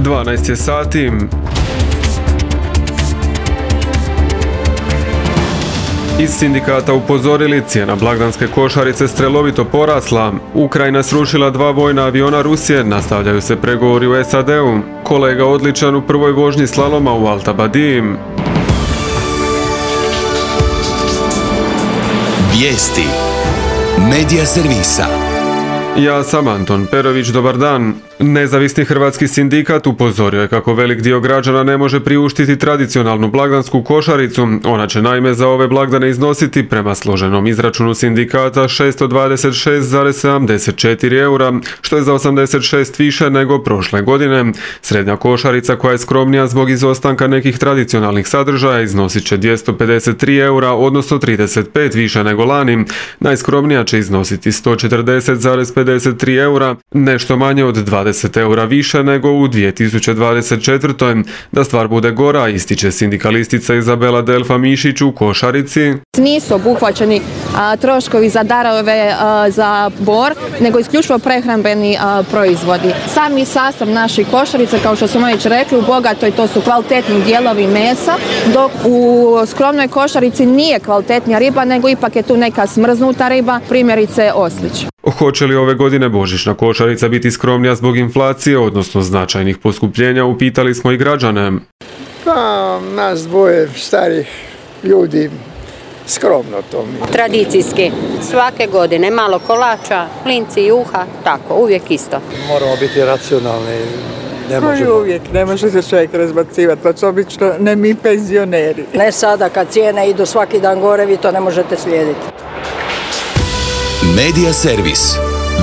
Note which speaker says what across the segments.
Speaker 1: 12 je sati. Iz sindikata upozorili, cijena blagdanske košarice strelovito porasla. Ukrajina srušila 2 vojna aviona Rusije, nastavljaju se pregovori u SAD-u. Kolega odličan u prvoj vožnji slaloma u Altabadiji.
Speaker 2: Vijesti Medija servisa.
Speaker 1: Ja sam Anton Perović, dobar dan. Nezavisni hrvatski sindikat upozorio je kako velik dio građana ne može priuštiti tradicionalnu blagdansku košaricu. Ona će naime za ove blagdane iznositi, prema složenom izračunu sindikata, 626,74 eura, što je za 86 više nego prošle godine. Srednja košarica, koja je skromnija zbog izostanka nekih tradicionalnih sadržaja, iznosit će 253 eura, odnosno 35 više nego lani. Najskromnija će iznositi 140,53 eura, nešto manje od 20 eura više nego u 2024. Da stvar bude gora, ističe sindikalistica Izabela Delfa Mišić u košarici.
Speaker 3: Nisu obuhvaćeni troškovi za darove za bor, nego isključivo prehrambeni proizvodi. Sami sastav naših košarica, kao što smo već rekli, u bogatoj to su kvalitetni dijelovi mesa, dok u skromnoj košarici nije kvalitetnija riba, nego ipak je tu neka smrznuta riba, primjerice oslić.
Speaker 1: Hoće li ove godine božićna košarica biti skromnija zbog inflacije, odnosno značajnih poskupljenja, upitali smo i građane.
Speaker 4: Pa, nas dvoje starih ljudi, skromno to mi.
Speaker 5: Tradicijski, svake godine, malo kolača, klinci, juha, tako, uvijek isto.
Speaker 4: Moramo biti racionalni.
Speaker 6: Uvijek, ne može se čovjek razbacivati, pa su obično ne mi penzioneri.
Speaker 7: Ne sada kad cijene idu svaki dan gore, vi to ne možete slijediti.
Speaker 2: Medija servis.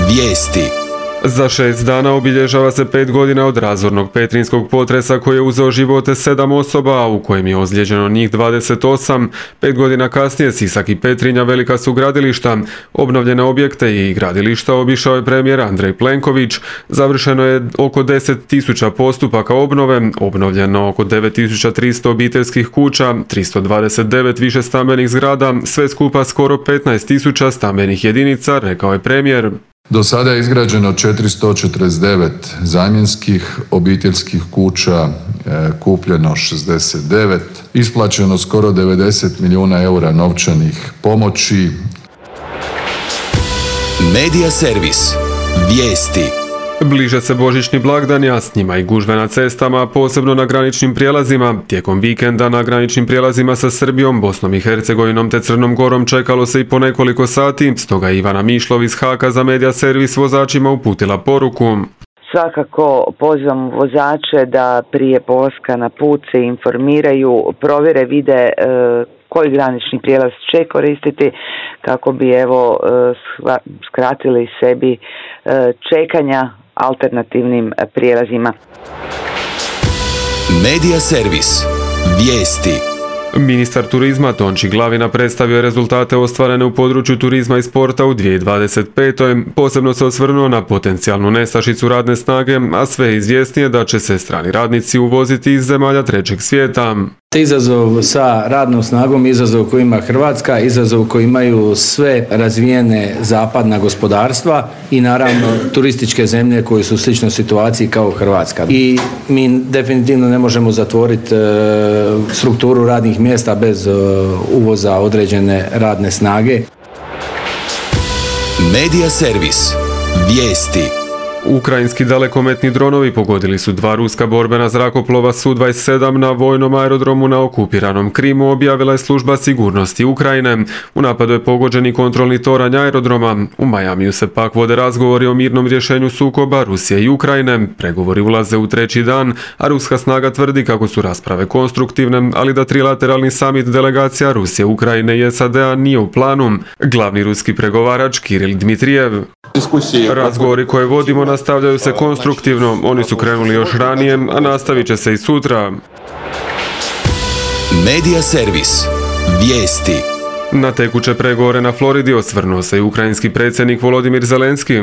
Speaker 2: Vijesti.
Speaker 1: Za 6 dana obilježava se 5 godina od razornog petrinjskog potresa koji je uzeo živote 7 osoba, a u kojem je ozlijeđeno njih 28. 5 godina kasnije Sisak i Petrinja velika su gradilišta. Obnovljene objekte i gradilišta obišao je premijer Andrej Plenković. Završeno je oko 10.000 postupaka obnove, obnovljeno oko 9.300 obiteljskih kuća, 329 višestambenih zgrada, sve skupa skoro 15.000 stambenih jedinica, rekao je premijer.
Speaker 8: Do sada je izgrađeno 449 zamjenskih obiteljskih kuća, kupljeno 69, isplaćeno skoro 90 milijuna eura novčanih pomoći.
Speaker 2: Medija servis. Vijesti.
Speaker 1: Bliže se božićni blagdani, a s njima i gužve na cestama, posebno na graničnim prijelazima. Tijekom vikenda na graničnim prijelazima sa Srbijom, Bosnom i Hercegovinom te Crnom Gorom čekalo se i po nekoliko sati, stoga je Ivana Mišlov iz Haka za Medija servis vozačima uputila poruku.
Speaker 9: Svakako pozivam vozače da prije polaska na put se informiraju, provjere, vide koji granični prijelaz će koristiti kako bi skratili sebi čekanja alternativnim prijelazima.
Speaker 2: Medija servis. Vijesti.
Speaker 1: Ministar turizma Tonči Glavina predstavio je rezultate ostvarene u području turizma i sporta u 2025. Posebno se osvrnuo na potencijalnu nestašicu radne snage, a sve je izvjesnije da će se strani radnici uvoziti iz zemalja trećeg svijeta.
Speaker 10: Izazov sa radnom snagom, izazov koji ima Hrvatska, izazov koji imaju sve razvijene zapadna gospodarstva i naravno turističke zemlje koje su u sličnoj situaciji kao Hrvatska. I mi definitivno ne možemo zatvoriti strukturu radnih mjesta bez uvoza određene radne snage.
Speaker 2: Medija servis. Vijesti.
Speaker 1: Ukrajinski dalekometni dronovi pogodili su 2 ruska borbena zrakoplova Su-27 na vojnom aerodromu na okupiranom Krimu, objavila je služba sigurnosti Ukrajine. U napadu je pogođen i kontrolni toranj aerodroma. U Majamiju se pak vode razgovori o mirnom rješenju sukoba Rusije i Ukrajine. Pregovori ulaze u 3. dan, a ruska snaga tvrdi kako su rasprave konstruktivne, ali da trilateralni samit delegacija Rusije, Ukrajine i SAD-a nije u planu. Glavni ruski pregovarač Kiril Dmitrijev. Razgovori koje vodimo nastavljaju se konstruktivno, oni su krenuli još ranije, a nastavit će se i sutra.
Speaker 2: Medija servis. Vijesti.
Speaker 1: Na tekuće pregovore na Floridi osvrnuo se i ukrajinski predsjednik Volodimir Zelenski.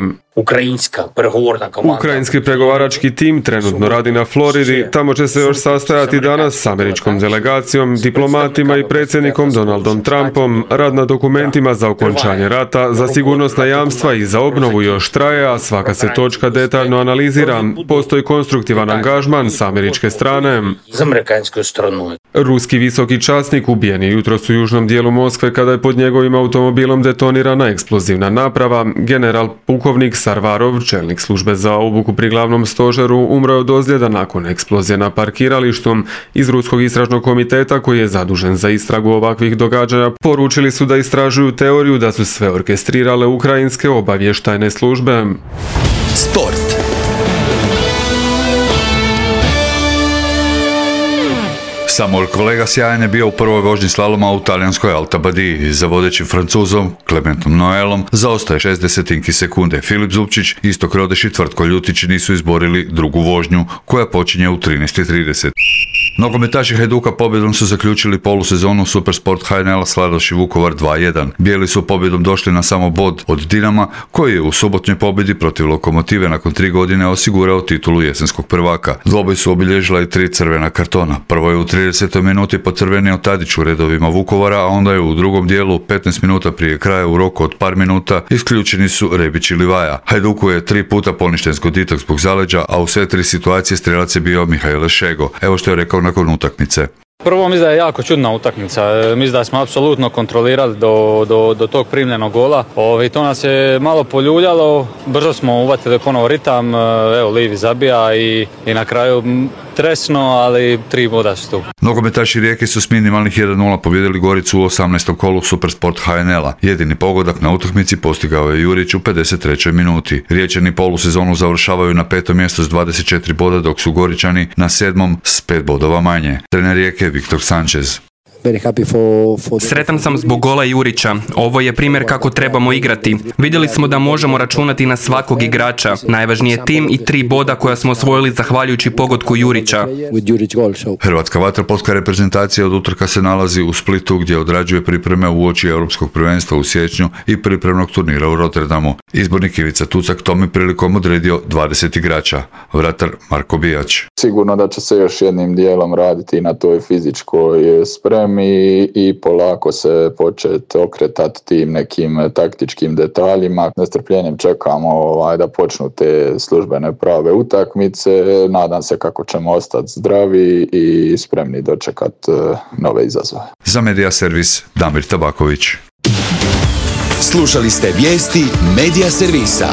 Speaker 1: Ukrajinski pregovarački tim trenutno radi na Floridi, tamo će se još sastajati danas s američkom delegacijom, diplomatima i predsjednikom Donaldom Trumpom. Rad na dokumentima za okončanje rata, za sigurnosna jamstva i za obnovu još traje, a svaka se točka detaljno analizira. Postoji konstruktivan angažman s američke strane. Ruski visoki časnik ubijen je jutros u južnom dijelu Moskve kada je pod njegovim automobilom detonirana eksplozivna naprava. General pukovnik Sarvarov, čelnik službe za obuku pri glavnom stožeru, umro je od ozljeda nakon eksplozije na parkiralištu. Iz Ruskog istražnog komiteta, koji je zadužen za istragu ovakvih događanja, poručili su da istražuju teoriju da su sve orkestrirale ukrajinske obavještajne službe.
Speaker 2: Sport.
Speaker 11: Samuel Kolega sjajan je bio u prvoj vožnji slaloma u talijanskoj Alta Badiji. Za vodećim Francuzom Clementom Noelom zaostaje 0,6 sekunde. Filip Zupčić, Istok Rodeš i Tvrtko Ljutić nisu izborili drugu vožnju, koja počinje u 13:30. Nogometaši Hajduka pobjedom su zaključili polusezonu Supersport HNL Sladoš i Vukovar 2:1. Bijeli su pobjedom došli na samo bod od Dinama, koji je u subotnjoj pobjedi protiv Lokomotive nakon 3 godine osigurao titulu jesenskog prvaka. Dvoboj su obilježila i 3 crvena kartona. Prvo je u 30. minuti pocrvenio Tadić u redovima Vukovara, a onda je u drugom dijelu 15 minuta prije kraja u roku od par minuta isključeni su Rebić i Livaja. Hajduku je 3 puta poništen zgoditak zbog zaleđa, a u sve 3 situacije strelac je bio Mihajle Šego. Evo što je rekao nakon utakmice.
Speaker 12: Prvo mislim da je jako čudna utakmica. Mislim da smo apsolutno kontrolirali do tog primljenog gola. I to nas je malo poljuljalo. Brzo smo uvatili ponovo ritam. Evo, Livi zabija i na kraju tresno, ali 3 boda su tu.
Speaker 11: Nogometaši Rijeke su s minimalnih 1:0 pobjedili Goricu u 18. kolu Supersport HNL-a. Jedini pogodak na utakmici postigao je Jurić u 53. minuti. Riječani polusezonu završavaju na 5. mjestu s 24 boda, dok su Goričani na 7. s 5 bodova manje. Trener Rijeke Viktor Sanchez.
Speaker 13: Sretan sam zbog gola Jurića. Ovo je primjer kako trebamo igrati. Vidjeli smo da možemo računati na svakog igrača. Najvažnije je tim i 3 boda koja smo osvojili zahvaljujući pogodku Jurića.
Speaker 11: Hrvatska vaterpolska reprezentacija od utorka se nalazi u Splitu, gdje odrađuje pripreme uoči Europskog prvenstva u siječnju i pripremnog turnira u Rotterdamu. Izbornik Ivica Tucak tom je prilikom odredio 20 igrača. Vratar Marko Bijač.
Speaker 14: Sigurno da će se još jednim dijelom raditi na toj fizičkoj spremi i polako se početi okretati tim nekim taktičkim detaljima. Nestrpljenjem čekamo da počnu te službene prave utakmice. Nadam se kako ćemo ostati zdravi i spremni dočekati nove izazove.
Speaker 11: Za Medija servis Damir Tabaković.
Speaker 2: Slušali ste vijesti Medija servisa.